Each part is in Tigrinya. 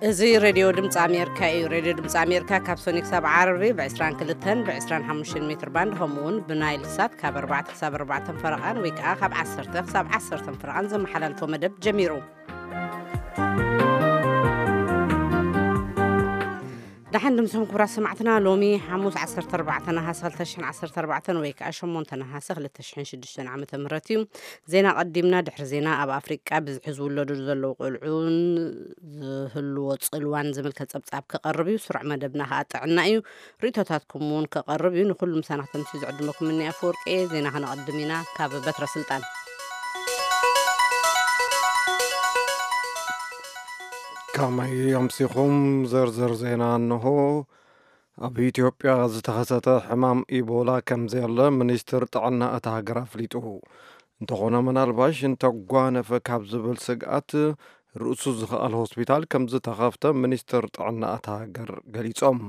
እዚ ሬድዮ ድምፂ ኣሜሪካ እዩ። ሬድዮ ድምፂ ኣሜሪካ ካብ ሰኒ ክሳብ ዓርቢ ብ22ን ብ25 ሜትር ባንድ፣ ከምኡ እውን ብናይል ሳት ካብ ኣርባዕተ ክሳብ ኣርባዕተ ፈረቓን ወይ ከዓ ካብ ዓሰርተ ክሳብ ዓሰርተ ፈረቓን ዘመሓላልፎ መደብ ጀሚሩ። ደሓን ድምስኹም ክቡራት ሰማዕትና። ሎሚ ሓሙስ ዓሰርተ ኣርባዕተ ነሓሰ ክልተ ሽሕን ዓሰርተ ኣርባዕተን ወይ ከዓ ሸሞንተ ነሓሰ ክልተ ሽሕን ሽዱሽተን ዓመተ ምህረት እዩ። ዜና ቀዲምና። ድሕሪ ዜና፣ ኣብ ኣፍሪቃ ብዝሒ ዝውለዱ ዘለዉ ቆልዑን ዝህልዎ ጽልዋን ዝምልከት ጸብጻብ ክቐርብ እዩ። ስሩዕ መደብና ከዓ ጥዕና እዩ። ርእይቶታትኩም እውን ክቐርብ እዩ። ንኹሉ ምሳና ክተምስዩ ዝዕድመኩም እኒ ኣፈወርቂ እየ። ዜና ከነቐድም ኢና። ካብ በትረ ስልጣን። ከመይ ኣምሲኹም? ዝርዝር ዜና እንሆ። ኣብ ኢትዮጵያ ዝተኸሰተ ሕማም ኢቦላ ከም ዘየለ ሚኒስትር ጥዕና እታ ሃገር ኣፍሊጡ። እንተኾነ፣ ምናልባሽ እንተጓነፈ ካብ ዝብል ስግኣት፣ ርእሱ ዝኸኣል ሆስፒታል ከም ዝተኸፍተ ሚኒስትር ጥዕና እታ ሃገር ገሊጾም።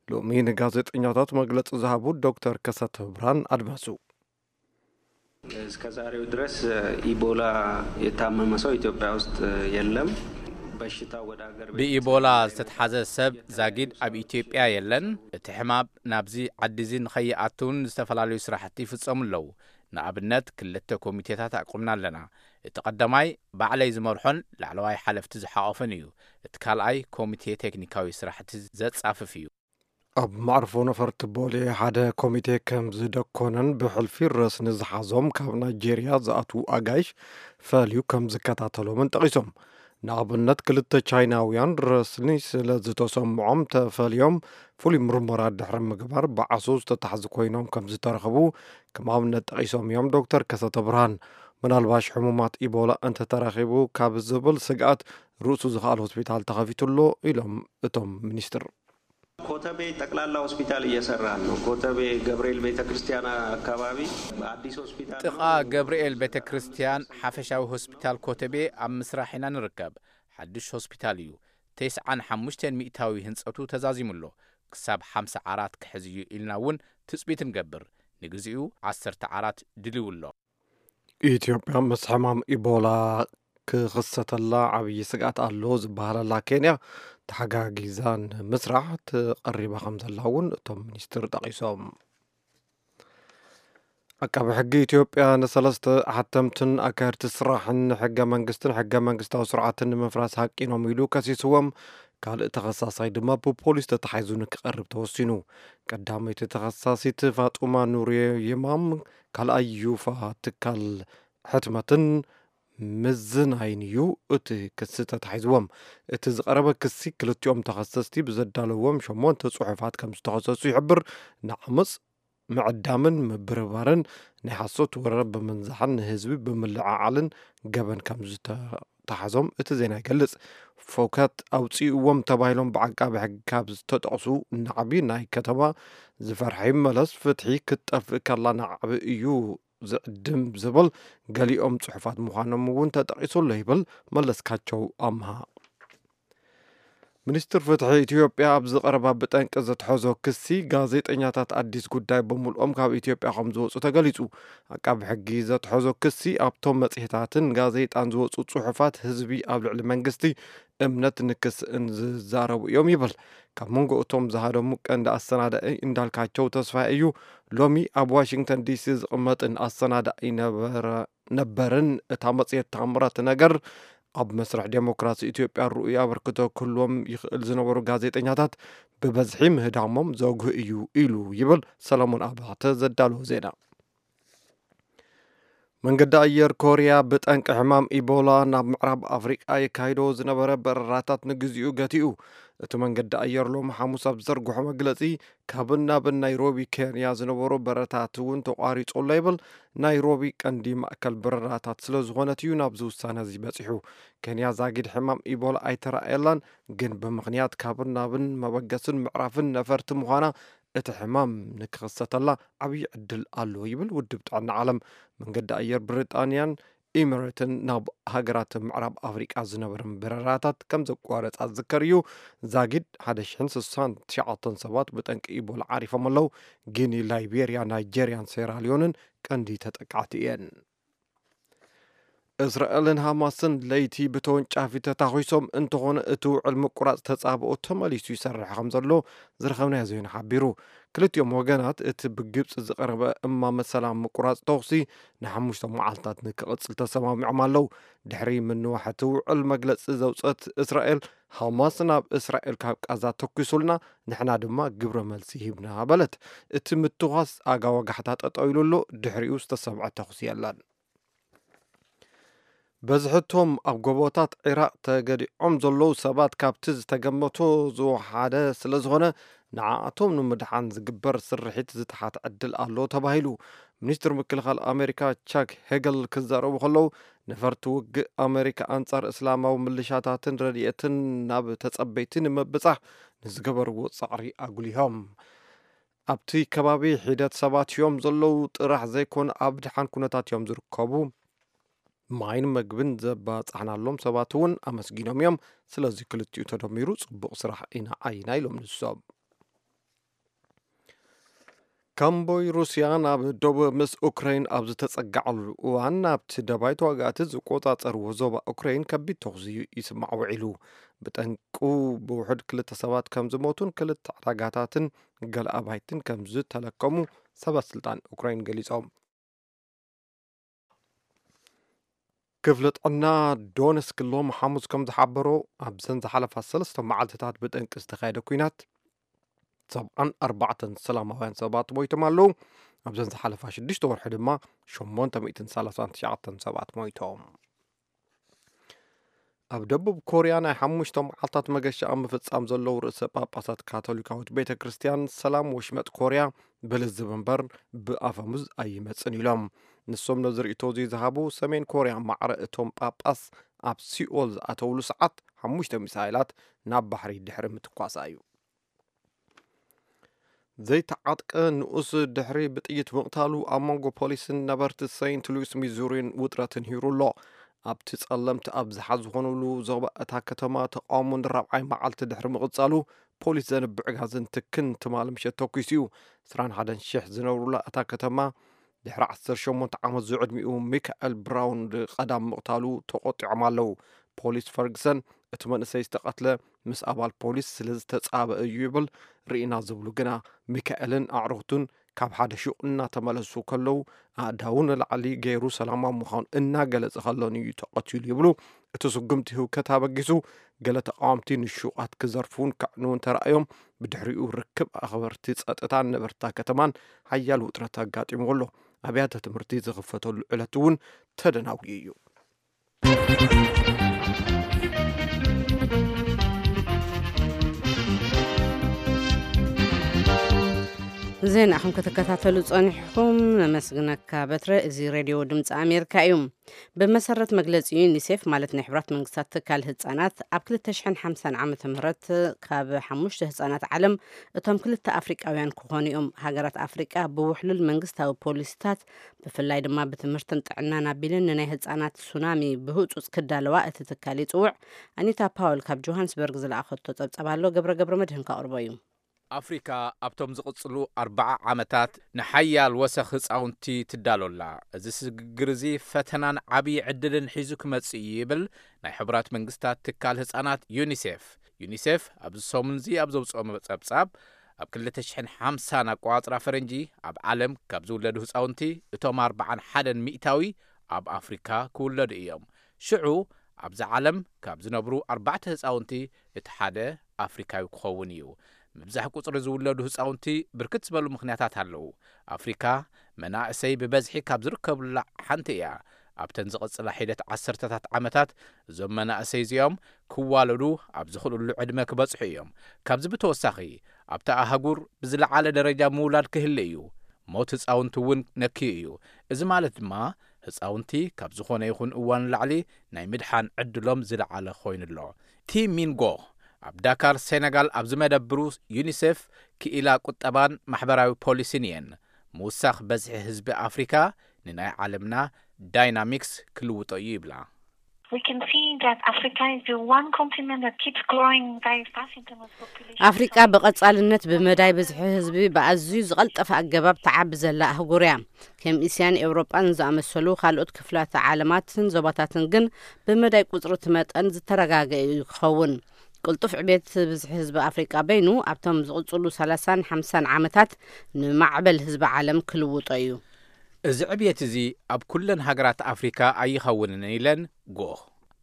ሎሚ ንጋዜጠኛታት መግለጺ ዝሃቡ ዶክተር ከሰተ ብርሃን ኣድማሱ። እስከ ዛሬው ድረስ ኢቦላ የታመመ ሰው ኢትዮጵያ ውስጥ የለም። በሽታው ወደ ሀገር ቤት ብኢቦላ ዝተትሓዘ ሰብ ዛጊድ ኣብ ኢትዮጵያ የለን። እቲ ሕማም ናብዚ ዓዲ እዚ ንኸይኣትውን ዝተፈላለዩ ስራሕቲ ይፍጸሙ ኣለዉ። ንኣብነት ክልተ ኮሚቴታት ኣቁምና ኣለና። እቲ ቀዳማይ ባዕለይ ዝመርሖን ላዕለዋይ ሓለፍቲ ዝሓቆፈን እዩ። እቲ ካልኣይ ኮሚቴ ቴክኒካዊ ስራሕቲ ዘጻፍፍ እዩ። ኣብ መዕርፎ ነፈርቲ ቦሌ ሓደ ኮሚቴ ከም ዝደኮነን ብሕልፊ ረስኒ ዝሓዞም ካብ ናይጄርያ ዝኣትዉ ኣጋይሽ ፈልዩ ከም ዝከታተሎምን ጠቒሶም። ንኣብነት ክልተ ቻይናውያን ረስኒ ስለ ዝተሰምዖም ተፈልዮም ፍሉይ ምርመራ ድሕሪ ምግባር ብዓሶ ዝተታሕዙ ኮይኖም ከም ዝተረኸቡ ከም ኣብነት ጠቒሶም እዮም ዶክተር ከሰተ ብርሃን። ምናልባሽ ሕሙማት ኢቦላ እንተተረኺቡ ካብ ዝብል ስግኣት ርእሱ ዝኸኣል ሆስፒታል ተኸፊቱ ኣሎ ኢሎም እቶም ሚኒስትር። ኮተቤ ጠቅላላ ሆስፒታል እየሰራን ነው። ኮተቤ ገብርኤል ቤተክርስቲያን አካባቢ አዲስ ሆስፒታል ጥቓ ገብርኤል ቤተ ክርስቲያን ሓፈሻዊ ሆስፒታል ኮተቤ ኣብ ምስራሕ ኢና ንርከብ። ሓድሽ ሆስፒታል እዩ። ተስዓን ሓሙሽተን ሚእታዊ ህንጸቱ ተዛዚሙ ኣሎ። ክሳብ ሓምሳ ዓራት ክሕዝ እዩ ኢልና እውን ትጽቢት ንገብር። ንግዚኡ ዓሰርተ ዓራት ድልው ኣሎ። ኢትዮጵያ ምስ ሕማም ኢቦላ ክኽሰተላ ዓብዪ ስግኣት ኣሎ ዝበሃለላ ኬንያ ተሓጋጊዛ ንምስራሕ ትቐሪባ ከም ዘላ እውን እቶም ሚኒስትር ጠቒሶም። ዓቃቢ ሕጊ ኢትዮጵያ ንሰለስተ ሓተምትን ኣካየድቲ ስራሕን ንሕገ መንግስትን ሕገ መንግስታዊ ስርዓትን ንምፍራስ ሃቂኖም ኢሉ ከሲስዎም፣ ካልእ ተኸሳሳይ ድማ ብፖሊስ ተታሒዙ ንክቐርብ ተወሲኑ። ቀዳመይቲ ተኸሳሲት ፋጡማ ኑር ይማም፣ ካልኣይ ዩፋ ትካል ሕትመትን ምዝናይን እዩ እቲ ክሲ ተታሒዝዎም። እቲ ዝቐረበ ክሲ ክልቲኦም ተኸሰስቲ ብዘዳለዎም ሸሞንተ ጽሑፋት ከም ዝተኸሰሱ ይሕብር። ንዓመጽ ምዕዳምን ምብርባርን፣ ናይ ሓሶት ወረ ብምንዛሕን ንህዝቢ ብምልዕዓልን ገበን ከም ዝተታሕዞም እቲ ዜና ይገልጽ። ፎካት ኣውጺእዎም ተባሂሎም ብዓቃቢ ሕጊ ካብ ዝተጠቕሱ ናዕቢ ናይ ከተማ ዝፈርሐ ይመለስ፣ ፍትሒ ክትጠፍእ ከላ ናዕቢ እዩ ዝዕድም ዝብል ገሊኦም ጽሑፋት ምዃኖም እውን ተጠቒሱ ኣሎ ይብል መለስካቸው ኣምሃ። ሚኒስትር ፍትሒ ኢትዮጵያ ኣብዚ ቀረባ ብጠንቂ ዘትሐዞ ክሲ ጋዜጠኛታት ኣዲስ ጉዳይ ብምልኦም ካብ ኢትዮጵያ ከም ዝወፁ ተገሊፁ። ኣቃቢ ሕጊ ዘትሐዞ ክሲ ኣብቶም መፅሄታትን ጋዜጣን ዝወፁ ፅሑፋት ህዝቢ ኣብ ልዕሊ መንግስቲ እምነት ንክስእን ዝዛረቡ እዮም ይብል። ካብ መንጎ እቶም ዝሃደሙ ቀንዲ ኣሰናዳኢ እንዳልካቸው ተስፋ እዩ። ሎሚ ኣብ ዋሽንግተን ዲሲ ዝቕመጥን ኣሰናዳኢ ነበረ ነበርን እታ መጽሔት ታምራት ነገር ኣብ መስርሕ ዴሞክራሲ ኢትዮጵያ ርኡይ ኣበርክቶ ክህልዎም ይኽእል ዝነበሩ ጋዜጠኛታት ብበዝሒ ምህዳሞም ዘጉህ እዩ ኢሉ ይብል ሰለሞን ኣባተ ዘዳለዎ ዜና። መንገዲ ኣየር ኮርያ ብጠንቂ ሕማም ኢቦላ ናብ ምዕራብ ኣፍሪቃ የካይዶ ዝነበረ በረራታት ንግዚኡ ገቲኡ። እቲ መንገዲ ኣየር ሎሚ ሓሙስ ኣብ ዘርግሖ መግለጺ ካብን ናብን ናይሮቢ ኬንያ ዝነበሩ በረራታት እውን ተቋሪጹ ኣሎ ይብል። ናይሮቢ ቀንዲ ማእከል በረራታት ስለ ዝኾነት እዩ ናብዚ ውሳነ እዚ በጺሑ። ኬንያ ዛጊድ ሕማም ኢቦላ ኣይተራእየላን፣ ግን ብምኽንያት ካብን ናብን መበገስን ምዕራፍን ነፈርቲ ምዃና እቲ ሕማም ንክኽሰተላ ዓብዪ ዕድል ኣሎ ይብል ውድብ ጥዕና ዓለም። መንገዲ ኣየር ብሪጣንያን ኢሚሬትን ናብ ሃገራት ምዕራብ ኣፍሪቃ ዝነበረን በረራታት ከም ዘቋረጻ ዝዝከር እዩ። ዛጊድ ሓደ ሽሕን ስሳን ትሽዓተን ሰባት ብጠንቂ ኢቦላ ዓሪፎም ኣለዉ። ጊኒ፣ ላይቤርያ፣ ናይጄርያን ሴራሊዮንን ቀንዲ ተጠቃዕቲ እየን። እስራኤልን ሃማስን ለይቲ ብተወንጫፊ ተታኺሶም እንተኾነ፣ እቲ ውዕል ምቁራጽ ተጻብኦ ተመሊሱ ይሰርሕ ከም ዘሎ ዝረኸብናዮ ዜና ሓቢሩ። ክልቲኦም ወገናት እቲ ብግብጺ ዝቐረበ እማመ ሰላም ምቁራጽ ተኹሲ ንሓሙሽተ መዓልታት ንክቕጽል ተሰማሚዖም ኣለዉ። ድሕሪ ምንዋሕ እቲ ውዕል መግለጺ ዘውጸት እስራኤል፣ ሃማስ ናብ እስራኤል ካብ ቃዛ ተኲሱልና፣ ንሕና ድማ ግብረ መልሲ ሂብና በለት። እቲ ምትኳስ ኣጋ ወጋሕታ ጠጠው ኢሉ ኣሎ፣ ድሕሪኡ ዝተሰምዐ ተኹሲ የለን። በዝሕቶም ኣብ ጎቦታት ዒራቕ ተገዲዖም ዘለዉ ሰባት ካብቲ ዝተገመቶ ዝወሓደ ስለ ዝኾነ፣ ንዓኣቶም ንምድሓን ዝግበር ስርሒት ዝተሓት ዕድል ኣሎ ተባሂሉ። ሚኒስትር ምክልኻል ኣሜሪካ ቻክ ሄገል ክዛረቡ ከለዉ፣ ነፈርቲ ውግእ ኣሜሪካ ኣንጻር እስላማዊ ምልሻታትን ረድኤትን ናብ ተጸበይቲ ንምብጻሕ ንዝገበርዎ ጻዕሪ ኣጉሊሆም። ኣብቲ ከባቢ ሒደት ሰባት እዮም ዘለዉ ጥራሕ ዘይኮነ፣ ኣብ ድሓን ኩነታት እዮም ዝርከቡ። ማይን መግብን ዘባጻሕናሎም ሰባት እውን ኣመስጊኖም እዮም። ስለዚ ክልቲኡ ተደሚሩ ጽቡቕ ስራሕ ኢና ዓይና ኢሎም ንሶም። ካምቦይ ሩስያ ናብ ደቡብ ምስ ኡክራይን ኣብ ዝተጸጋዓሉ እዋን፣ ኣብቲ ደባይ ተዋጋእቲ ዝቆጻጸርዎ ዞባ ኡክራይን ከቢድ ተኹሲ ይስማዕ ውዒሉ። ብጠንቁ ብውሑድ ክልተ ሰባት ከም ዝሞቱን ክልተ ዕዳጋታትን ገለ ኣባይትን ከም ዝተለከሙ ሰበ ስልጣን ኡክራይን ገሊጾም። ክፍሊ ጥዕና ዶነስክ ሎም ሓሙስ ከም ዝሓበሮ፣ ኣብዘን ዝሓለፋ ሰለስተ መዓልትታት ብጠንቂ ዝተኻየደ ኲናት ሰብዓን ኣርባዕተን ሰላማውያን ሰባት ሞይቶም ኣለዉ። ኣብዘን ዝሓለፋ ሽዱሽተ ወርሒ ድማ ሸሞንተ ሚእትን ሰላሳን ትሽዓተን ሰባት ሞይቶም። ኣብ ደቡብ ኮርያ ናይ ሓሙሽተ መዓልታት መገሻ ኣብ ምፍጻም ዘለዉ ርእሰ ጳጳሳት ካቶሊካዊት ቤተ ክርስቲያን፣ ሰላም ወሽመጥ ኮርያ ብልዝብ እምበር ብኣፈሙዝ ኣይመጽን ኢሎም። ንሶም ነዚ ርእይቶ እዚ ዝሃቡ፣ ሰሜን ኮርያ ማዕረ እቶም ጳጳስ ኣብ ሲኦል ዝኣተውሉ ሰዓት ሓሙሽተ ሚሳይላት ናብ ባሕሪ ድሕሪ ምትኳሳ እዩ። ዘይተዓጥቀ ንኡስ ድሕሪ ብጥይት ምቕታሉ፣ ኣብ መንጎ ፖሊስን ነበርቲ ሴንት ሉዊስ ሚዙሪን ውጥረት ንሂሩ ኣሎ። ኣብቲ ጸለምቲ ኣብዝሓ ዝኾኑሉ ዞባ እታ ከተማ፣ ተቃውሞ ንራብዓይ መዓልቲ ድሕሪ ምቕጻሉ፣ ፖሊስ ዘንብዕ ጋዝን ትክን ትማሊ ምሸት ተኲሱ እዩ። ዕስራን ሓደን ሽሕ ዝነብሩላ እታ ከተማ፣ ድሕሪ ዓሰርተ ሸሞንተ ዓመት ዝዕድሚኡ ሚካኤል ብራውን ቀዳም ምቕታሉ ተቖጢዖም ኣለዉ። ፖሊስ ፈርግሰን፣ እቲ መንእሰይ ዝተቐትለ ምስ ኣባል ፖሊስ ስለ ዝተጻበ እዩ ይብል። ርኢና ዝብሉ ግና፣ ሚካኤልን ኣዕሩኽቱን ካብ ሓደ ሹቕ እናተመለሱ ከለዉ፣ ኣእዳዉ ንላዕሊ ገይሩ ሰላማዊ ምዃኑ እናገለጸ ከሎን እዩ ተቐቲሉ ይብሉ። እቲ ስጉምቲ ህውከት ኣበጊሱ፣ ገለ ተቓወምቲ ንሹቓት ክዘርፉን ከዕንዉን ተራእዮም። ብድሕሪኡ፣ ርክብ ኣኽበርቲ ጸጥታን ነበርታ ከተማን ሓያል ውጥረት ኣጋጢምዎ ኣሎ። ኣብያተ ትምህርቲ ዝኽፈተሉ ዕለት እውን ተደናጉዩ እዩ። ዜና ኢኹም ክትከታተሉ ጸኒሕኩም። ነመስግነካ በትረ። እዚ ሬድዮ ድምፂ ኣሜሪካ እዩ። ብመሰረት መግለፂ ዩኒሴፍ፣ ማለት ናይ ሕቡራት መንግስታት ትካል ህፃናት፣ ኣብ ክልተ ሽሕን ሓምሳን ዓመተ ምህረት ካብ ሓሙሽተ ህፃናት ዓለም እቶም ክልተ ኣፍሪቃውያን ክኾኑ እዮም። ሃገራት ኣፍሪቃ ብውሕሉል መንግስታዊ ፖሊሲታት፣ ብፍላይ ድማ ብትምህርትን ጥዕናን ኣቢለን ንናይ ህፃናት ሱናሚ ብህፁፅ ክዳለዋ እቲ ትካል ይፅውዕ። ኣኒታ ፓወል ካብ ጆሃንስበርግ ዝለኣኸቶ ፀብፀብ ኣሎ፣ ገብረ ገብረ መድህን ከቕርቦ እዩ። ኣፍሪካ ኣብቶም ዝቕጽሉ ኣርብዓ ዓመታት ንሓያል ወሰኽ ህጻውንቲ ትዳሎ ኣላ። እዚ ስግግር እዚ ፈተናን ዓብዪ ዕድልን ሒዙ ክመጽእ እዩ ይብል ናይ ሕቡራት መንግስታት ትካል ህጻናት ዩኒሴፍ። ዩኒሴፍ ኣብዚ ሰሙን እዚ ኣብ ዘውጽኦ ጸብጻብ፣ ኣብ ክልተ ሽሕን ሓምሳን ኣቆጻጽራ ፈረንጂ ኣብ ዓለም ካብ ዝውለዱ ህጻውንቲ እቶም ኣርብዓን ሓደን ሚእታዊ ኣብ ኣፍሪካ ክውለዱ እዮም። ሽዑ ኣብዚ ዓለም ካብ ዝነብሩ ኣርባዕተ ህጻውንቲ እቲ ሓደ ኣፍሪካዊ ክኸውን እዩ። ምብዛሕ ቁጽሪ ዝውለዱ ህጻውንቲ ብርክት ዝበሉ ምኽንያታት ኣለዉ። ኣፍሪካ መናእሰይ ብበዝሒ ካብ ዝርከብላ ሓንቲ እያ። ኣብተን ዝቕጽላ ሒደት ዓሰርተታት ዓመታት እዞም መናእሰይ እዚኦም ክዋለዱ ኣብ ዝኽእልሉ ዕድመ ክበጽሑ እዮም። ካብዚ ብተወሳኺ ኣብታ ኣህጉር ብዝለዓለ ደረጃ ምውላድ ክህለ እዩ። ሞት ህጻውንቲ እውን ነክዩ እዩ። እዚ ማለት ድማ ህጻውንቲ ካብ ዝኾነ ይኹን እዋን ንላዕሊ ናይ ምድሓን ዕድሎም ዝለዓለ ኮይኑ ኣሎ። ቲ ሚንጎ ኣብ ዳካር ሴነጋል ኣብ ዝመደብሩ ዩኒሴፍ ክኢላ ቁጠባን ማሕበራዊ ፖሊሲን እየን። ምውሳኽ በዝሒ ህዝቢ ኣፍሪካ ንናይ ዓለምና ዳይናሚክስ ክልውጦ እዩ ይብላ። We can see that Africa is the one continent that keeps growing very fast in terms of population. ኣፍሪቃ ብቐጻልነት ብመዳይ ብዝሒ ህዝቢ ብኣዝዩ ዝቐልጠፈ ኣገባብ ትዓቢ ዘላ ኣህጉር እያ። ከም እስያን ኤውሮጳን ዝኣመሰሉ ካልኦት ክፍላተ ዓለማትን ዞባታትን ግን ብመዳይ ቁጽሪ እቲ መጠን ዝተረጋገ እዩ ክኸውን። ቅልጡፍ ዕቤት ብዝሒ ህዝቢ ኣፍሪቃ በይኑ ኣብቶም ዝቕጽሉ ሰላሳን ሓምሳን ዓመታት ንማዕበል ህዝቢ ዓለም ክልውጦ እዩ። እዚ ዕብየት እዚ ኣብ ኩለን ሃገራት ኣፍሪካ ኣይኸውንን ኢለን ጎህ።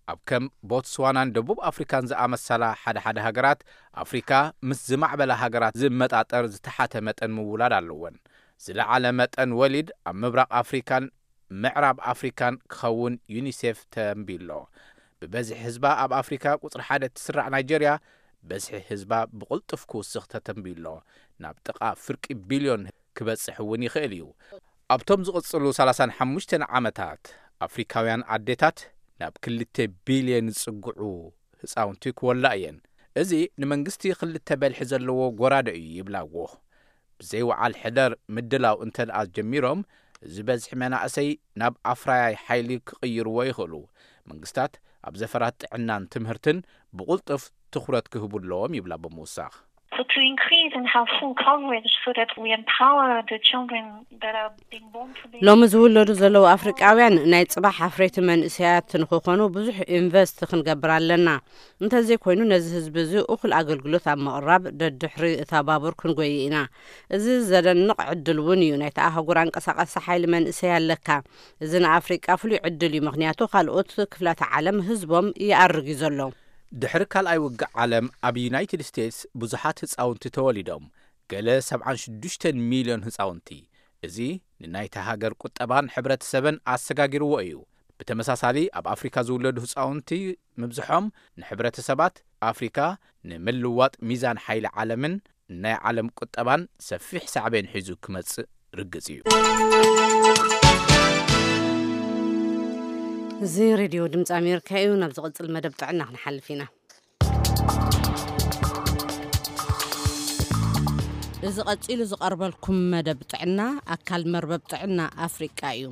ኣብ ከም ቦትስዋናን ደቡብ ኣፍሪካን ዝኣመሰላ ሓደ ሓደ ሃገራት ኣፍሪካ ምስ ዝማዕበላ ሃገራት ዝመጣጠር ዝተሓተ መጠን ምውላድ ኣለወን። ዝለዓለ መጠን ወሊድ ኣብ ምብራቕ ኣፍሪካን ምዕራብ ኣፍሪካን ክኸውን ዩኒሴፍ ተንቢሎ። ብበዝሒ ህዝባ ኣብ ኣፍሪካ ቁፅሪ ሓደ እትስራዕ ናይጀርያ፣ በዝሒ ህዝባ ብቕልጡፍ ክውስኽ ተተንቢሎ። ናብ ጥቓ ፍርቂ ቢልዮን ክበጽሕ እውን ይኽእል እዩ። ኣብቶም ዝቕጽሉ ሰላሳን ሓሙሽተን ዓመታት ኣፍሪካውያን ኣዴታት ናብ ክልተ ቢልዮን ዝጽግዑ ህጻውንቲ ክወላ እየን። እዚ ንመንግስቲ ክልተ በልሒ ዘለዎ ጎራደ እዩ ይብላ ጎህ። ብዘይወዓል ሕደር ምድላው እንተ ደኣ ጀሚሮም፣ እዚ በዝሒ መናእሰይ ናብ ኣፍራያይ ሓይሊ ክቕይርዎ ይኽእሉ። መንግስታት ኣብ ዘፈራት ጥዕናን ትምህርትን ብቕልጡፍ ትኹረት ክህቡ ኣለዎም ይብላ ብምውሳኽ። So to increase and have full coverage so that we empower the children that are being born today. ሎሚ ዝውለዱ ዘለዉ ኣፍሪቃውያን ናይ ጽባሕ ኣፍረይቲ መንእሰያት ንኽኾኑ ብዙሕ ኢንቨስት ክንገብር ኣለና። እንተዘይኮይኑ ነዚ ህዝቢ እዚ እኹል ኣገልግሎት ኣብ ምቕራብ ደድሕሪ እታ ባቡር ክንጎይ ኢና። እዚ ዘደንቕ ዕድል እውን እዩ። ናይታ ኣህጉር ኣንቀሳቓሲ ሓይሊ መንእሰይ ኣለካ። እዚ ንኣፍሪቃ ፍሉይ ዕድል እዩ፣ ምኽንያቱ ካልኦት ክፍላተ ዓለም ህዝቦም ይኣርግ እዩ ዘሎ። ድሕሪ ካልኣይ ውግእ ዓለም ኣብ ዩናይትድ ስቴትስ ብዙሓት ህጻውንቲ ተወሊዶም፣ ገለ ሰብዓን ሽዱሽተን ሚልዮን ህጻውንቲ። እዚ ንናይታ ሃገር ቁጠባን ሕብረተሰብን ኣሰጋጊርዎ እዩ። ብተመሳሳሊ ኣብ ኣፍሪካ ዝውለዱ ህጻውንቲ ምብዝሖም ንሕብረተሰባት ኣፍሪካ ንምልዋጥ ሚዛን ሓይሊ ዓለምን ናይ ዓለም ቁጠባን ሰፊሕ ሳዕቤን ሒዙ ክመጽእ ርግጽ እዩ። እዚ ሬድዮ ድምፂ ኣሜሪካ እዩ። ናብ ዝቕጽል መደብ ጥዕና ክንሓልፍ ኢና። እዚ ቀጺሉ ዝቐርበልኩም መደብ ጥዕና ኣካል መርበብ ጥዕና ኣፍሪቃ እዩ።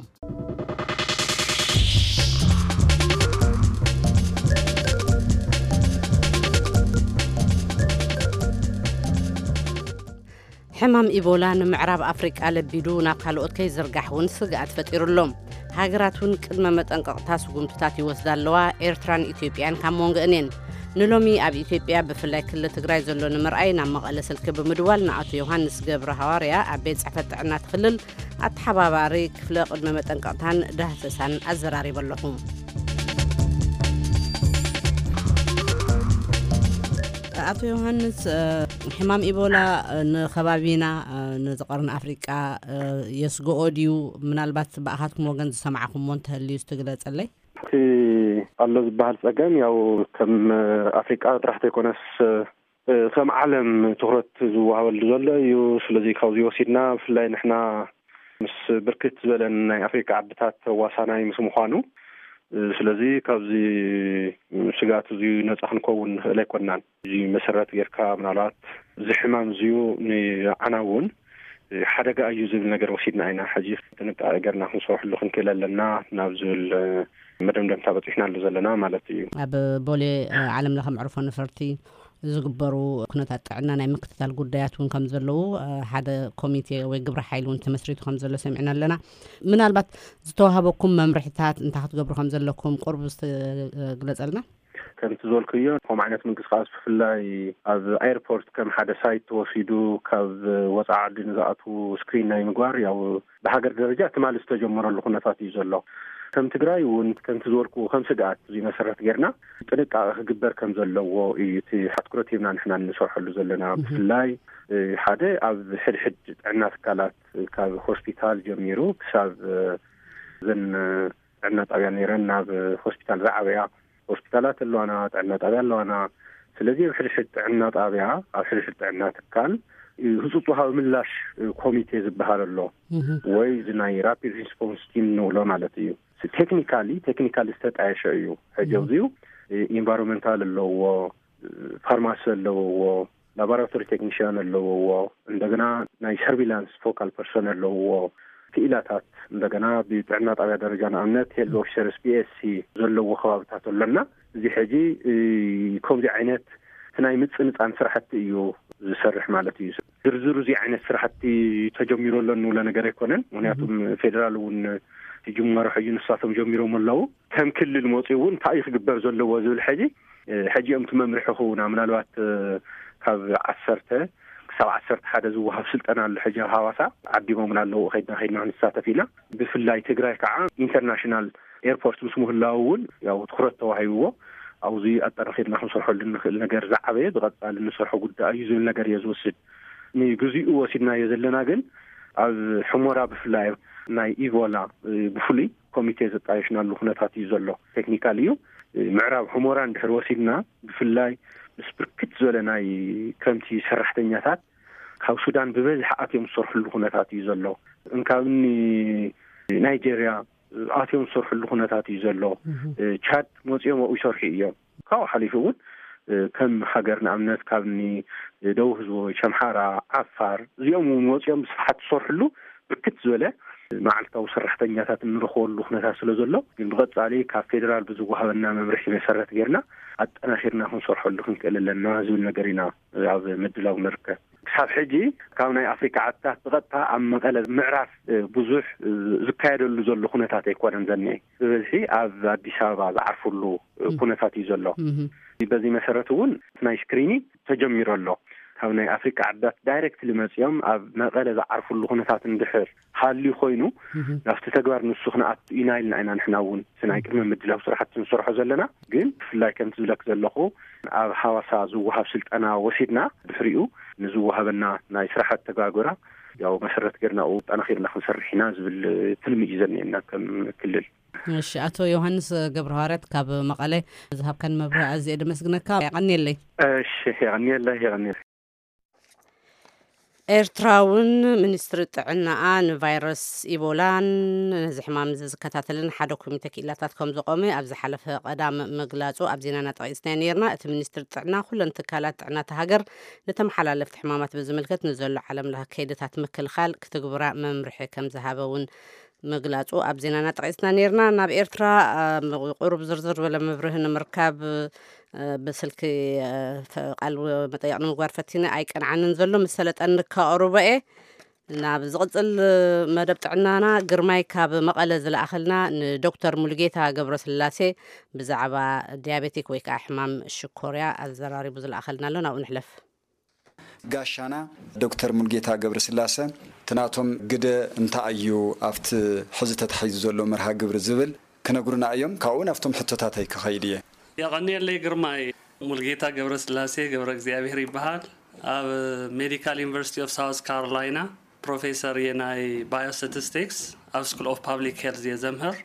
ሕማም ኢቦላ ንምዕራብ ኣፍሪቃ ለቢዱ ናብ ካልኦት ከይዝርጋሕ እውን ስግኣት ፈጢሩ ኣሎ። ሃገራት እውን ቅድመ መጠንቀቕታ ስጉምትታት ይወስዳ ኣለዋ። ኤርትራን ኢትዮጵያን ካብ መንጎአን እየን። ንሎሚ ኣብ ኢትዮጵያ ብፍላይ ክልል ትግራይ ዘሎ ንምርኣይ ናብ መቐለ ስልኪ ብምድዋል ንኣቶ ዮሃንስ ገብረ ሃዋርያ ኣብ ቤት ጽሕፈት ጥዕና እቲ ክልል ኣተሓባባሪ ክፍለ ቅድመ መጠንቀቕታን ዳህሰሳን ኣዘራሪበ ኣለኹ። ኣቶ ዮሃንስ፣ እ፣ ሕማም ኢቦላ፣ እ፣ ንከባቢና፣ እ፣ ነዚ ቀርኒ ኣፍሪቃ፣ እ፣ የስግኦ ድዩ? ምናልባት ብኣኻትኩም ወገን ዝሰማዕኹምዎ እንተህልዩ እስቲ ግለጸለይ። እቲ ኣሎ ዝበሃል ጸገም ያው ከም ኣፍሪቃ ጥራሕ ዘይኮነስ፣ እ፣ ከም ዓለም ትኹረት ዝወሃበሉ ዘሎ እዩ። ስለዚ ካብዚ ወሲድና ብፍላይ ንሕና ምስ ብርክት ዝበለን ናይ ኣፍሪቃ ዓድታት ተዋሳናይ ምስ ምዃኑ፣ እ፣ ስለዚ ካብዚ ስግኣት እዚ ነጻ ክንከውን ንኽእል ኣይኮናን። እዚ መሰረት ጌርካ ምናልባት እዚ ሕማም እዚዩ ንዓና እውን ሓደጋ እዩ ዝብል ነገር ወሲድና ኢና። ሕጂ ጥንቃቄ ጌርና ክንሰርሐሉ ክንክእል ኣለና ናብ ዝብል መደምደምታ በፂሕናሉ ዘለና ማለት እዩ። ኣብ ቦሌ፣ እ፣ ዓለም ለኸ መዕርፎ ነፈርቲ ዝግበሩ ኩነታት ጥዕና ናይ ምክትታል ጉዳያት እውን ከም ዘለዉ፣ እ፣ ሓደ ኮሚቴ ወይ ግብረ ሓይሊ እውን ተመስሪቱ ከም ዘሎ ሰሚዕና ኣለና። ምናልባት ዝተዋህበኩም መምርሕታት እንታይ ክትገብሩ ከም ዘለኩም ቁርብ እስቲ፣ እ፣ ግለጸልና። ከምቲ ዝበልክዮ፣ ከምኡ ዓይነት ምንቅስቃስ ብፍላይ ኣብ ኤርፖርት ከም ሓደ ሳይት ተወሲዱ ካብ ወፃኢ ዓዲ ንዝኣትዉ ስክሪን ናይ ምግባር፣ ያው ብሃገር ደረጃ ትማሊ ዝተጀመረሉ ኩነታት እዩ ዘሎ። ከም ትግራይ እውን ከምቲ ዝበልክዎ ከም ስግኣት እዚ መሰረት ጌርና ጥንቃቄ ክግበር ከም ዘለዎ እዩ እቲ ኣትኩረት ሂብና ንሕና እንሰርሐሉ ዘለና። እህ። ብፍላይ፣ እ፣ ሓደ ኣብ ሕድሕድ ጥዕና ትካላት ካብ ሆስፒታል ጀሚሩ ክሳብ፣ እ፣ እዘን ጥዕና ጣብያ ነይረን ናብ ሆስፒታል ዝዓበያ ሆስፒታላት ኣለዋና፣ ጥዕና ጣብያ ኣለዋና። ስለዚ ኣብ ሕድሕድ ጥዕና ጣብያ፣ ኣብ ሕድሕድ ጥዕና ትካል፣ እ፣ ህጹጽ ወሃቢ ምላሽ፣ እ፣ ኮሚቴ ዝበሃል ኣሎ። እህ። ወይ እዚ ናይ ራፒድ ሪስፖንስ ቲም ንብሎ ማለት እዩ። ቴክኒካሊ፣ ቴክኒካሊ ዝተጣየሸ እዩ። ሕጂ እህ። ኣብዚኡ፣ እ፣ ኢንቫይሮንመንታል ኣለዎ፣ እ፣ ፋርማሲ ኣለዎ፣ ላቦራቶሪ ቴክኒሽያን ኣለውዎ፣ እንደገና ናይ ሰርቪላንስ ፎካል ፐርሶን ኣለውዎ። እቲ ክኢላታት እንደገና ብጥዕና ጣብያ ደረጃ ንኣብነት ሄልዝ ኦፊሰርስ ፒኤስሲ ዘለዎ ከባብታት ኣለና። እዚ ሕጂ ከምዚ ዓይነት ናይ ምፅንፃን ስራሕቲ እዩ ዝሰርሕ ማለት እዩ። ዝርዝሩ እዚ ዓይነት ስራሕቲ ተጀሚሩ ኣሎ እንብሎ ነገር ኣይኮነን። ምክንያቱም ፌደራል እውን ጅማሮ ሕጂ ንሳቶም ጀሚሮም ኣለዉ። ከም ክልል መፅኡ እውን እንታይ እዩ ክግበር ዘለዎ ዝብል ሕጂ ሕጂ እዮም እቲ መምርሒ ክህቡና። ምናልባት ካብ ዓሰርተ ክሳብ ዓሰርተ ሓደ ዝወሃብ ስልጠና ኣሎ ሕጂ ኣብ ሃዋሳ ዓዲሞም ኣለዉ። ከይድና ከይድና ክንሳተፍ ኢና። ብፍላይ ትግራይ ከዓ ኢንተርናሽናል ኤርፖርት ምስ ምህላው እውን ያው ትኩረት ተዋሂብዎ ኣብዚ ኣጠናኺርና ክንሰርሐሉ እንኽእል ነገር ዝዓበየ ብቐፃሊ እንሰርሖ ጉዳይ እዩ ዝብል ነገር እየ ዝወስድ። ንግዚኡ ወሲድናዮ ዘለና ግን ኣብ ሕሞራ ብፍላይ ናይ ኢቦላ ብፍሉይ ኮሚቴ ዘጣየሽናሉ ኩነታት እዩ ዘሎ። ቴክኒካል እዩ። ምዕራብ ሕሞራ እንድሕር ወሲድና ብፍላይ ምስ ብርክት ዝበለ ናይ ከምቲ ሰራሕተኛታት ካብ ሱዳን ብበዝሒ ኣትዮም ዝሰርሕሉ ኩነታት እዩ ዘሎ። እንካብኒ ናይጀርያ ኣትዮም ዝሰርሕሉ ኩነታት እዩ ዘሎ። ቻድ መፅኦም ኣብኡ ይሰርሑ እዮም። ካብኡ ሓሊፉ እውን ከም ሃገር ንኣብነት ካብኒ ደቡብ ህዝቦች ኣምሓራ፣ ዓፋር እዚኦም እውን መፅኦም ብስፍሓት ዝሰርሕሉ ብርክት ዝበለ መዓልታዊ ሰራሕተኛታት እንረኽበሉ ኩነታት ስለ ዘሎ ግን ብቐፃሊ ካብ ፌደራል ብዝወሃበና መምርሒ መሰረት ጌርና ኣጠናኺርና ክንሰርሐሉ ክንክእል ኣለና ዝብል ነገር ኢና ኣብ ምድላው ንርከብ። ክሳብ ሕጂ ካብ ናይ ኣፍሪካ ዓድታት ብቐጥታ ኣብ መቐለ ምዕራፍ ብዙሕ ዝካየደሉ ዘሎ ኩነታት ኣይኮነን ዘኒኤ። ብበዝሒ ኣብ ኣዲስ ኣበባ ዝዓርፍሉ ኩነታት እዩ ዘሎ። በዚ መሰረት እውን ናይ ስክሪኒንግ ተጀሚሩ ኣሎ። ካብ ናይ ኣፍሪካ ዓድታት ዳይሬክትሊ መፂኦም ኣብ መቐለ ዝዓርፍሉ ኩነታት እንድሕር ሃልዩ ኮይኑ ናብቲ ተግባር ንሱ ክንኣቱ ኢና ኢልና ኢና ንሕና እውን ናይ ቅድመ ምድላው ስራሕቲ ንሰርሖ ዘለና። ግን ብፍላይ ከምቲ ዝብለክ ዘለኹ ኣብ ሃዋሳ ዝወሃብ ስልጠና ወሲድና ድሕሪኡ ንዝወሃበና ናይ ስራሕ ኣተጋግራ ያው መሰረት ገርና ጠናኺርና ክንሰርሕ ኢና ዝብል ትልሚ እዩ ዘኒኤና ከም ክልል። እሺ፣ ኣቶ ዮሃንስ ገብረሃዋርያት ካብ መቐለ ዝሃብካን መብርሂ ኣዝየ ደመስግነካ። የቐንየለይ። እሺ፣ የቐንየለይ፣ የቐንየለይ። ኤርትራ እውን ሚኒስትሪ ጥዕናኣ ንቫይረስ ኢቦላን ነዚ ሕማም እዚ ዝከታተልን ሓደ ኮሚተ ክኢላታት ከም ዘቆመ ኣብ ዝሓለፈ ቀዳም ምግላጹ ኣብ ዜናና ጠቒስናዮ ነይርና። እቲ ሚኒስትሪ ጥዕና ኩለን ትካላት ጥዕና እታ ሃገር ንተመሓላለፍቲ ሕማማት ብዝምልከት ንዘሎ ዓለም ለኸ ከይድታት ምክልኻል ክትግብራ መምርሒ ከም ዝሃበ እውን ምግላጹ ኣብ ዜናና ጠቒስና ነይርና። ናብ ኤርትራ ቁሩብ ዝርዝር ዝበለ መብርሂ ንምርካብ ብስልኪ ቃል መጠየቕ ንምግባር ፈቲነ ኣይቀንዓንን ዘሎ። ምስ ሰለጠኒ ከቕርቦ እየ። ናብ ዝቕጽል መደብ ጥዕናና ግርማይ ካብ መቐለ ዝለኣኸልና ንዶክተር ሙሉጌታ ገብረስላሴ ብዛዕባ ዲያቤቲክ ወይ ከዓ ሕማም ሽኮርያ ኣዘራሪቡ ዝለኣኸልና ኣሎ። ናብኡ ንሕለፍ። ጋሻና ዶክተር ሙሉጌታ ገብረስላሰ፣ እቲ ናቶም ግደ እንታይ እዩ ኣብቲ ሕዚ ተታሒዙ ዘሎ መርሃ ግብሪ ዝብል ክነግሩና እዮም። ካብኡ ናብቶም ሕቶታተይ ክኸይድ እየ። የቐንየለይ ግርማይ። ሙሉጌታ ገብረስላሴ ገብረ እግዚኣብሔር ይበሃል። ኣብ ሜዲካል ዩኒቨርሲቲ ኦፍ ሳውዝ ካሮላይና ፕሮፌሰር እየ ናይ ባዮስታቲስቲክስ ኣብ ስኩል ኦፍ ፓብሊክ ሄልዝ እየ ዘምህር።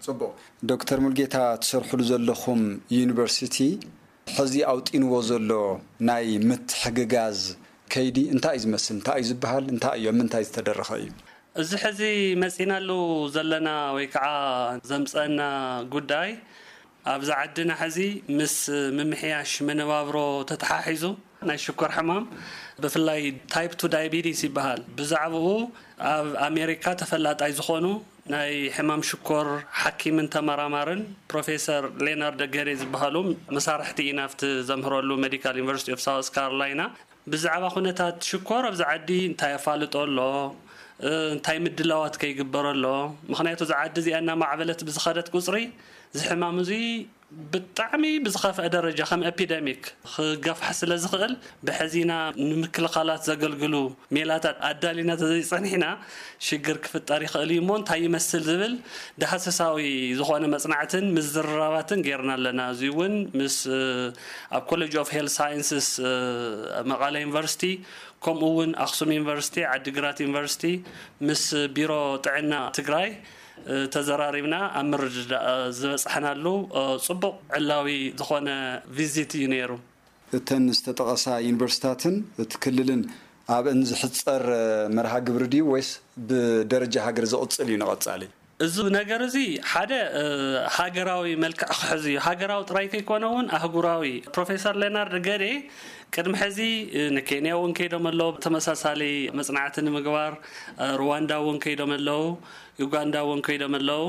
ፅቡቕ። ዶክተር ሙሉጌታ፣ ትሰርሕሉ ዘለኹም ዩኒቨርሲቲ ሕዚ ኣውጢንዎ ዘሎ ናይ ምትሕግጋዝ ከይዲ እንታይ እዩ ዝመስል? እንታይ እዩ ዝበሃል? እንታይ እዩ ኣብ ምንታይ ዝተደረኸ እዩ? እዚ ሕዚ መፂናሉ ዘለና ወይ ከዓ ዘምፀአና ጉዳይ ኣብዚ ዓድና ሕዚ ምስ ምምሕያሽ መነባብሮ ተተሓሒዙ ናይ ሽኮር ሕማም ብፍላይ ታይፕ ቱ ዳያቤቲስ ይበሃል። ብዛዕባኡ ኣብ ኣሜሪካ ተፈላጣይ ዝኾኑ ናይ ሕማም ሽኮር ሓኪምን ተመራማርን ፕሮፌሰር ሌናርድ ገሬ ዝበሃሉ መሳርሕቲ ኢና ኣብቲ ዘምህረሉ ሜዲካል ዩኒቨርሲቲ ኦፍ ሳውስ ካሮላይና። ብዛዕባ ኩነታት ሽኮር ኣብዚ ዓዲ እንታይ ኣፋልጦ ኣሎ፣ እንታይ ምድላዋት ከይግበረሎ? ምኽንያቱ እዛ ዓዲ እዚኣ እናማዕበለት ብዝኸደት ቁፅሪ እዚ ሕማም እዚ ብጣዕሚ ብዝኸፍአ ደረጃ ከም ኤፒደሚክ ክገፍሕ ስለ ዝኽእል ብሕዚና ንምክልኻላት ዘገልግሉ ሜላታት ኣዳሊና ተዘይፀኒሕና ሽግር ክፍጠር ይኽእል እዩ እሞ እንታይ ይመስል ዝብል ዳህሰሳዊ ዝኾነ መፅናዕትን ምዝርራባትን ጌርና ኣለና። እዚ እውን ምስ ኣብ ኮሌጅ ኦፍ ሄልት ሳይንስስ መቐለ ዩኒቨርሲቲ ከምኡ እውን ኣክሱም ዩኒቨርሲቲ፣ ዓዲግራት ዩኒቨርሲቲ ምስ ቢሮ ጥዕና ትግራይ ተዘራሪብና ኣብ ምርድዳእ ዝበፃሕናሉ ፅቡቕ ዕላዊ ዝኾነ ቪዚት እዩ ነይሩ። እተን ዝተጠቐሳ ዩኒቨርሲታትን እቲ ክልልን ኣብአን ዝሕፀር መርሃ ግብሪ ድዩ ወይስ ብደረጃ ሃገር ዝቕፅል እዩ ንቐፃሊ? እዚ ነገር እዚ ሓደ ሃገራዊ መልክዕ ክሕዝ እዩ። ሃገራዊ ጥራይ ከይኮነ እውን ኣህጉራዊ። ፕሮፌሰር ሌናርድ ገዴ ቅድሚ ሕዚ ንኬንያ እውን ከይዶም ኣለዉ፣ ተመሳሳሊ መፅናዕቲ ንምግባር። ሩዋንዳ እውን ከይዶም ኣለዉ፣ ዩጋንዳ እውን ከይዶም ኣለዉ፣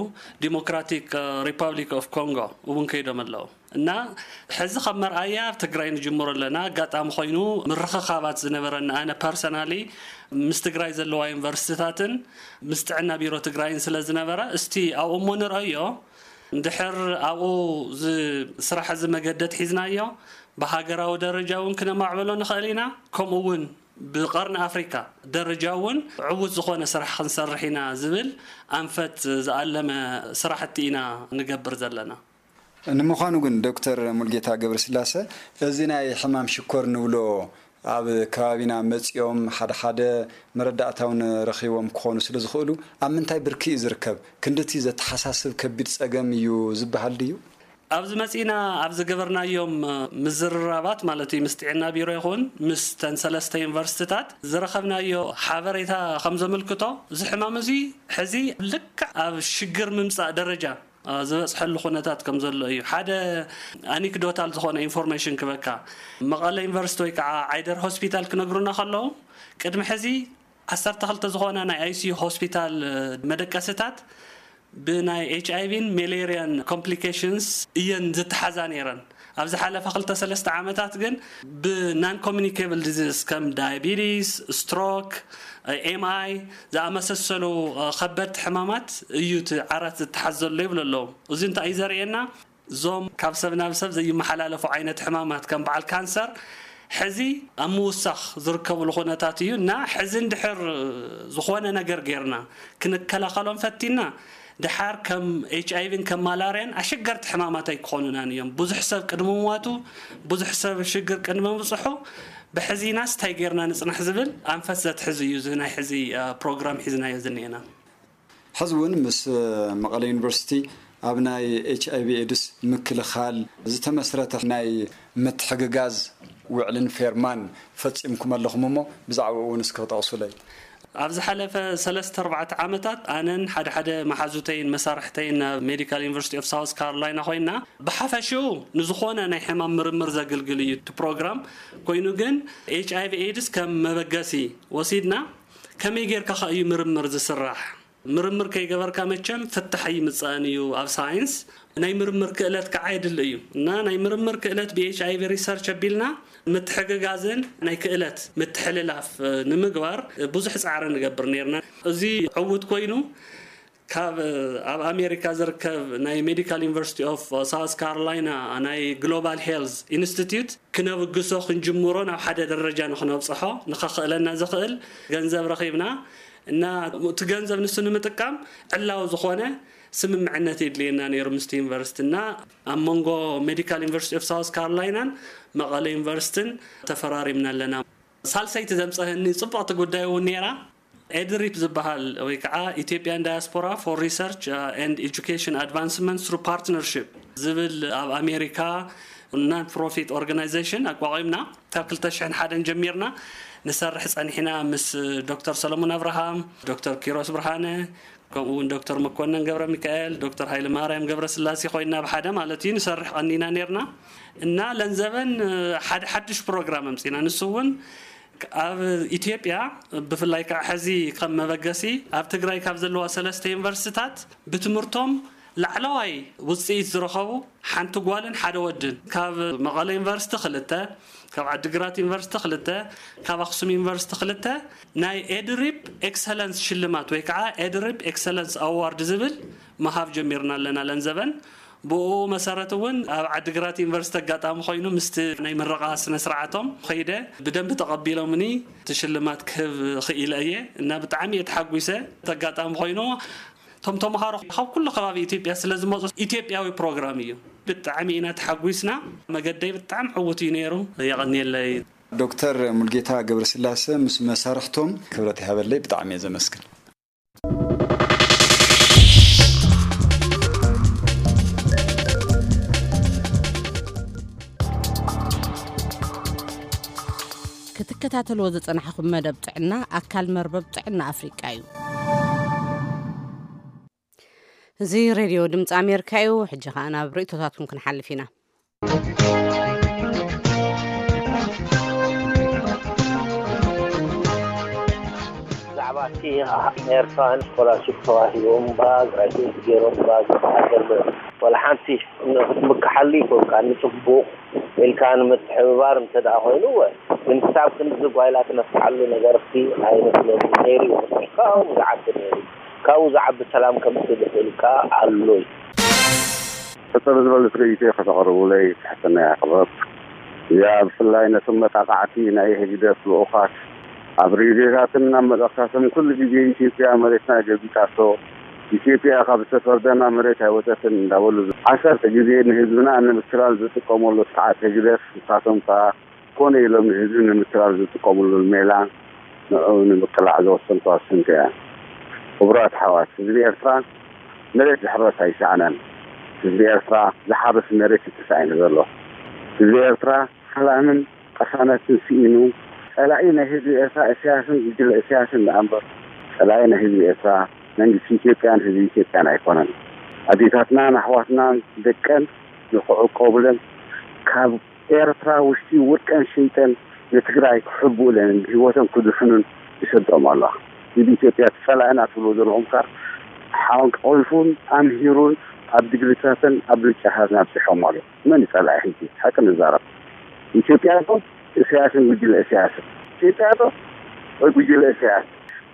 ዲሞክራቲክ ሪፓብሊክ ኦፍ ኮንጎ እውን ከይዶም ኣለዉ። እና ሕዚ ከም መርኣያ ኣብ ትግራይ ንጅምሮ ኣለና። ኣጋጣሚ ኮይኑ ምርኽኻባት ዝነበረና፣ ኣነ ፐርሰናሊ ምስ ትግራይ ዘለዋ ዩኒቨርሲቲታትን ምስ ጥዕና ቢሮ ትግራይን ስለ ዝነበረ፣ እስቲ ኣብኡ እሞ ንርአዮ። እንድሕር ኣብኡ ስራሕ እዚ መገደት ሒዝናዮ፣ ብሃገራዊ ደረጃ እውን ክነማዕበሎ ንኽእል ኢና። ከምኡ እውን ብቀርኒ ኣፍሪካ ደረጃ እውን ዕዉት ዝኾነ ስራሕ ክንሰርሕ ኢና ዝብል ኣንፈት ዝኣለመ ስራሕቲ ኢና ንገብር ዘለና። ንምዃኑ ግን ዶክተር ሙልጌታ ገብረስላሰ፣ እዚ ናይ ሕማም ሽኮር ንብሎ ኣብ ከባቢና መፂኦም ሓደ ሓደ መረዳእታውን ረኺቦም ክኾኑ ስለ ዝኽእሉ፣ ኣብ ምንታይ ብርኪ እዩ ዝርከብ? ክንድቲ ዘተሓሳስብ ከቢድ ፀገም እዩ ዝበሃል ድዩ? ኣብዚ መፂና ኣብ ዝገበርናዮም ምዝርራባት ማለት እዩ፣ ምስ ጥዕና ቢሮ ይኹን ምስ ተን ሰለስተ ዩኒቨርሲቲታት ዝረኸብናዮ ሓበሬታ ከም ዘመልክቶ፣ እዚ ሕማም እዚ ሕዚ ልክዕ ኣብ ሽግር ምምፃእ ደረጃ ዝበፅሐሉ ኩነታት ከም ዘሎ እዩ። ሓደ ኣኒክዶታል ዝኾነ ኢንፎርሜሽን ክበካ፣ መቐለ ዩኒቨርሲቲ ወይ ከዓ ዓይደር ሆስፒታል ክነግሩና ከለዉ፣ ቅድሚ ሕዚ ዓሰርተ ክልተ ዝኾና ናይ ኣይሲዩ ሆስፒታል መደቀስታት ብናይ ኤች ኣይቪን ሜሌርያን ኮምፕሊኬሽንስ እየን ዝተሓዛ ነይረን። ኣብ ዝሓለፈ ክልተ ሰለስተ ዓመታት ግን ብናን ኮሚኒኬብል ዲዚዝ ከም ዳያቢቲስ፣ ስትሮክ፣ ኤምኣይ ዝኣመሰሰሉ ከበድቲ ሕማማት እዩ እቲ ዓራት ዝተሓዝ ዘሎ ይብሉ ኣለዉ። እዚ እንታይ እዩ ዘርእየና? እዞም ካብ ሰብ ናብ ሰብ ዘይመሓላለፉ ዓይነት ሕማማት ከም በዓል ካንሰር ሕዚ ኣብ ምውሳኽ ዝርከብሉ ኩነታት እዩ እና፣ ሕዚ እንድሕር ዝኾነ ነገር ጌርና ክንከላኸሎም ፈቲና፣ ድሓር ከም ኤች ኣይቪን ከም ማላርያን ኣሸገርቲ ሕማማት ኣይክኾኑናን እዮም። ብዙሕ ሰብ ቅድሚ ምዋቱ፣ ብዙሕ ሰብ ሽግር ቅድሚ ምብፅሑ፣ ብሕዚናስ እንታይ ጌርና ንፅናሕ ዝብል ኣንፈት ዘትሕዝ እዩ እዚ ናይ ሕዚ ፕሮግራም ሒዝናዮ ዝኒኤና። ሕዚ እውን ምስ መቐለ ዩኒቨርሲቲ ኣብ ናይ ኤች ኣይቪ ኤድስ ምክልኻል ዝተመስረተ ናይ ምትሕግጋዝ ውዕልን ፌርማን ፈፂምኩም ኣለኹም እሞ ብዛዕባኡ እውን እስኪ ክጠቕሱለይ። ኣብ ዝሓለፈ ሰለስተ ኣርባዕተ ዓመታት ኣነን ሓደ ሓደ መሓዙተይን መሳርሕተይን ናብ ሜዲካል ዩኒቨርሲቲ ኦፍ ሳውዝ ካሮላይና ኮይና፣ ብሓፈሽኡ ንዝኾነ ናይ ሕማም ምርምር ዘግልግል እዩ እቲ ፕሮግራም። ኮይኑ ግን ኤች ኣይቪ ኤድስ ከም መበገሲ ወሲድና፣ ከመይ ጌርካ ከ እዩ ምርምር ዝስራሕ? ምርምር ከይገበርካ መቸም ፍታሕ ኣይምጻእን እዩ ኣብ ሳይንስ። ናይ ምርምር ክእለት ከዓ የድሊ እዩ እና ናይ ምርምር ክእለት ብኤች ኣይቪ ሪሰርች ኣቢልና ምትሕግጋዝን ናይ ክእለት ምትሕልላፍ ንምግባር ብዙሕ ፃዕሪ ንገብር ነርና። እዚ ዕውት ኮይኑ ካብ ኣብ ኣሜሪካ ዝርከብ ናይ ሜዲካል ዩኒቨርሲቲ ኦፍ ሳውስ ካሮላይና ናይ ግሎባል ሄልዝ ኢንስቲትዩት ክነብግሶ ክንጅምሮ ናብ ሓደ ደረጃ ንክነብፅሖ ንኸኽእለና ዝኽእል ገንዘብ ረኺብና እና እቲ ገንዘብ ንሱ ንምጥቃም ዕላዊ ዝኾነ ስምምዕነት የድልየና ነይሩ ምስቲ ዩኒቨርሲቲ እና ኣብ መንጎ ሜዲካል ዩኒቨርሲቲ ኦፍ ሳውስ ካሮላይናን መቐለ ዩኒቨርሲቲን ተፈራሪምና ኣለና። ሳልሰይቲ ዘምፀህኒ ፅቡቕቲ ጉዳይ እውን ነይራ። ኤድሪፕ ዝበሃል ወይ ከዓ ኢትዮጵያን ዳያስፖራ for research and education advancement through partnership ዝብል ኣብ ኣሜሪካ ናን ፕሮፊት ኦርጋናይዜሽን ኣቋቒምና ካብ ክልተ ሽሕን ሓደን ጀሚርና ንሰርሕ ፀኒሕና ምስ ዶክተር ሰለሙን ኣብርሃም፣ ዶክተር ኪሮስ ብርሃነ፣ ከምኡ እውን ዶክተር መኮነን ገብረ ሚካኤል፣ ዶክተር ሃይለ ማርያም ገብረ ስላሴ ኮይና ብሓደ ማለት እዩ ንሰርሕ ቀኒና ነርና እና ለንዘበን ሓደ ሓድሽ ፕሮግራም ኣምፂና ንሱ እውን ኣብ ኢትዮጵያ ብፍላይ ከዓ ሕዚ ከም መበገሲ ኣብ ትግራይ ካብ ዘለዋ ሰለስተ ዩኒቨርሲቲታት ብትምህርቶም ላዕለዋይ ውፅኢት ዝረኸቡ ሓንቲ ጓልን ሓደ ወድን ካብ መቐለ ዩኒቨርሲቲ ክልተ ካብ ዓዲግራት ዩኒቨርሲቲ ክልተ ካብ ኣክሱም ዩኒቨርሲቲ ክልተ ናይ ኤድሪፕ ኤክሰለንስ ሽልማት ወይ ከዓ ኤድሪፕ ኤክሰለንስ ኣዋርድ ዝብል ምሃብ ጀሚርና ኣለና ለንዘበን። ብኡ መሰረት እውን ኣብ ዓዲግራት ዩኒቨርሲቲ ኣጋጣሚ ኮይኑ ምስቲ ናይ ምረቓ ስነ ስርዓቶም ከይደ ብደንቢ ተቐቢሎምኒ እቲ ሽልማት ክህብ ክኢለ እየ እና ብጣዕሚ እየ ተሓጒሰ። እቲ ኣጋጣሚ ኮይኑ እቶም ተምሃሮ ካብ ኩሉ ከባቢ ኢትዮጵያ ስለ ዝመፁ ኢትዮጵያዊ ፕሮግራም እዩ። ብጣዕሚ ኢና ተሓጒስና። መገደይ ብጣዕሚ ዕዉት እዩ ነይሩ። የቐንየለይ። ዶክተር ሙልጌታ ገብረስላሰ ምስ መሳርሕቶም ክብረት ይሃበለይ። ብጣዕሚ እየ ዘመስግን። ክትከታተልዎ ዝጸናሕኹም መደብ ጥዕና ኣካል መርበብ ጥዕና ኣፍሪቃ እዩ። እዚ ሬድዮ ድምፂ ኣሜሪካ እዩ። ሕጂ ኸዓ ናብ ርእይቶታትኩም ክንሓልፍ ኢና። ብዛዕባ እቲ ኤርትራውያን ስኮላርሽፕ ተዋሂቦም ባ ግራጁዌት ገይሮም ባ ዝበሃል ዘሎ፣ ዋላ ሓንቲ ክትምክሓሉ ይኮንካ፣ ንፅቡቕ ኢልካ ንምትሕብባር እንተ ደኣ ኮይኑ፣ እወ። ግን ክሳብ ክንድዚ ጓይላ ትነፍሓሉ ነገር ሲ ኣይመስለኒ ነይሩ እዩ። ካብኡ ዝዓቢ ነይሩ። ካብኡ ዝዓቢ ሰላም ከምፅእ ዝኽእል ከኣ ኣሎ እዩ። ሕጽር ዝበለት ርእይቶይ ከተቕርቡለይ ትሕትና የቕርብ። እዚኣ ብፍላይ ነቶም መጣቓዕቲ ናይ ህግደፍ ልኡኻት ኣብ ሬድዮታትን ኣብ መልእኽታቶም ኩሉ ግዜ ኢትዮጵያ መሬትና ገቢጣቶ፣ ኢትዮጵያ ካብ ዝተፈርደና መሬት ኣይወጸትን እንዳበሉ ዓሰርተ ግዜ ንህዝብና ንምትላል ዝጥቀመሉ ስርዓት ህግደፍ ንሳቶም ከኣ ኮነ ኢሎም ንህዝቢ ንምትላል ዝጥቀምሉ ሜላ ንዕኡ ንምቅላዕ ዝወሰንኩዋ ስንኪ እያ። ክቡራት ኣሕዋት፣ ህዝቢ ኤርትራ መሬት ዝሕረስ ኣይሰኣነን። ህዝቢ ኤርትራ ዝሓርስ መሬት እዩ ተሳኢኑ ዘሎ። ህዝቢ ኤርትራ ሰላምን ቅሳነትን ስኢኑ፣ ጸላኢ ናይ ህዝቢ ኤርትራ ኢሳያስን ጉጅለ ኢሳያስን ደኣ እምበር፣ ጸላኢ ናይ ህዝቢ ኤርትራ መንግስቲ ኢትዮጵያን ህዝቢ ኢትዮጵያን ኣይኮነን። ኣዴታትናን ኣሕዋትናን ደቀን ንክዕቆቡለን ካብ ኤርትራ ውሽጢ ወርቀን ሸይጠን ንትግራይ ክሕብኡለን ብህይወቶም ክድሕኑን ይሰዶም ኣሎ። ህዝቢ ኢትዮጵያ እቲ ጸላኢና ትብልዎ ዘለኹም ከኣ ሓንቆልፉን ኣምሂሩን ኣብ ድግሪታትን ኣብ ምርጫታትን ኣብጺሖም ኣሎ። መን እዩ ጸላኢ ሕጂ? ሓቂ ንዛረብ። ኢትዮጵያ ዶ ኢሳያስን ጉጅለ ኢሳያስን? ኢትዮጵያ ዶ ወይ ጉጅለ ኢሳያስ?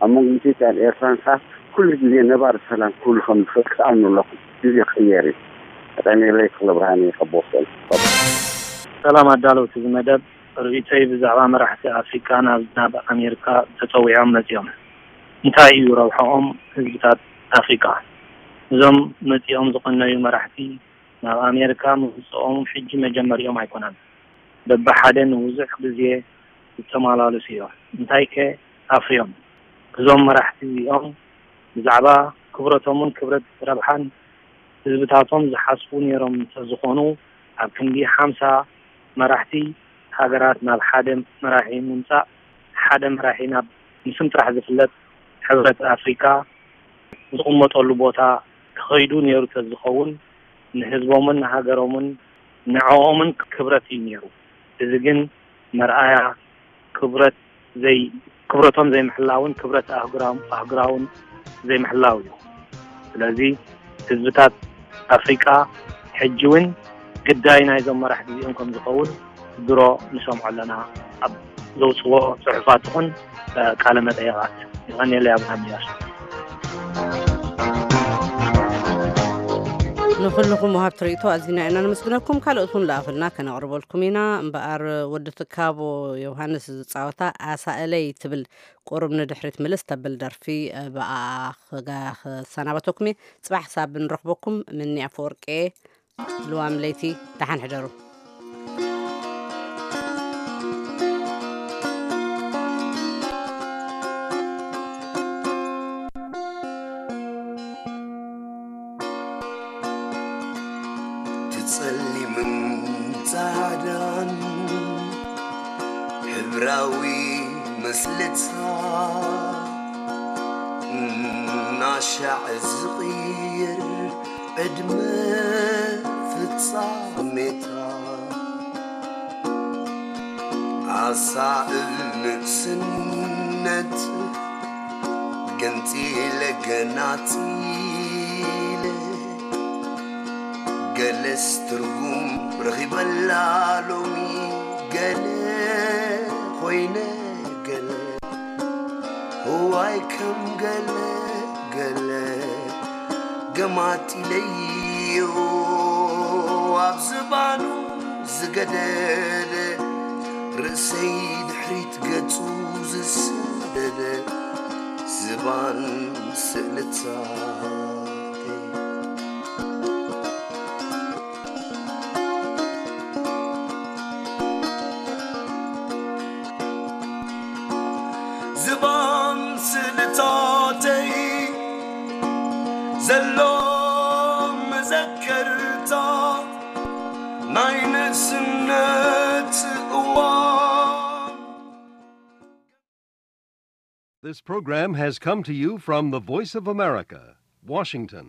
ኣብ መንጎ ኢትዮጵያን ኤርትራን ከኣ ኩሉ ግዜ ነባሪ ሰላም ክህሉ ከም ዝኽእል ክትኣምኑ ኣለኩም። ግዜ ክቕየር እዩ። ቀጠሜለይ ክፍለ ብርሃን እዩ ካብ ቦስተን። ሰላም ኣዳለውቲ እዚ መደብ፣ ርእይቶይ ብዛዕባ መራሕቲ ኣፍሪቃ ናብ ናብ ኣሜሪካ ተጸዊዖም መጺኦም እንታይ እዩ ረብሓኦም ህዝብታት ኣፍሪቃ? እዞም መጺኦም ዝቐነዩ መራሕቲ ናብ ኣሜሪካ ምምጽኦም ሕጂ መጀመሪኦም ኣይኮነን። በብሓደ ንብዙሕ ግዜ ዝተመላለሱ እዮም። እንታይ ከ ኣፍርዮም? እዞም መራሕቲ እዚኦም ብዛዕባ ክብረቶምን ክብረት ረብሓን ህዝብታቶም ዝሓስቡ ነይሮም እንተዝኾኑ፣ ኣብ ክንዲ ሓምሳ መራሕቲ ሃገራት ናብ ሓደ መራሒ ምምጻእ፣ ሓደ መራሒ ናብ ንስም ጥራሕ ዝፍለጥ ሕብረት ኣፍሪቃ ዝቕመጠሉ ቦታ ክኸይዱ ነይሩ ተዝኸውን፣ ንህዝቦምን ንሃገሮምን ንዕኦምን ክብረት እዩ ነይሩ። እዚ ግን መርኣያ ክብረት ዘይ ክብረቶም ዘይምሕላውን ክብረት ኣህጉራውን ዘይምሕላው እዩ። ስለዚ ህዝብታት ኣፍሪቃ ሕጂ እውን ግዳይ ናይዞም መራሕቲ እዚኦም ከም ዝኸውን ድሮ ንሰምዖ ኣለና ኣብ ዘውፅዎ ፅሑፋት ይኹን ቃለ መጠየቓት። ይቐንየለይ ኣቡነ ሚያስ። ንኹልኹም ወሃብቲ ርእይቶ ኣዚና ኢና ነመስግነኩም። ካልኦት እውን ለኣኹልና ከነቕርበልኩም ኢና። እምበኣር ወዲ ትካቦ ዮሃንስ ዝጻወታ ኣሳእለይ ትብል ቁሩብ ንድሕሪት ምልስ ተብል ደርፊ ብኣ ክሰናበተኩም እየ። ጽባሕ ሳብ ንረኽበኩም። ምኒ ኣፈወርቂ ልዋም ለይቲ ደሓን ሕደሩ። ትጸሊምን ጻዕዳን ሕብራዊ መስልታ እናሻዕ ዝቕይር ዕድመ ፍጻሜታ ኣሳእል ንእስነት ገንጺለ ገናጺለ ገለስ ትርጉም ረኺበላ ሎሚ ገለ ኮይነ ገለ እዋይ ከም ገለ ገለ ገማጢለዮ ኣብ ዝባኑ ዝገደደ ርእሰይ ድሕሪት ገጹ ዝሰደደ ዝባን ስእልታተይ ዝባን ስእልታተይ ዘሎ መዘከርታ ናይ ንእስነት እዋን። This program has come to you from the Voice of America, Washington.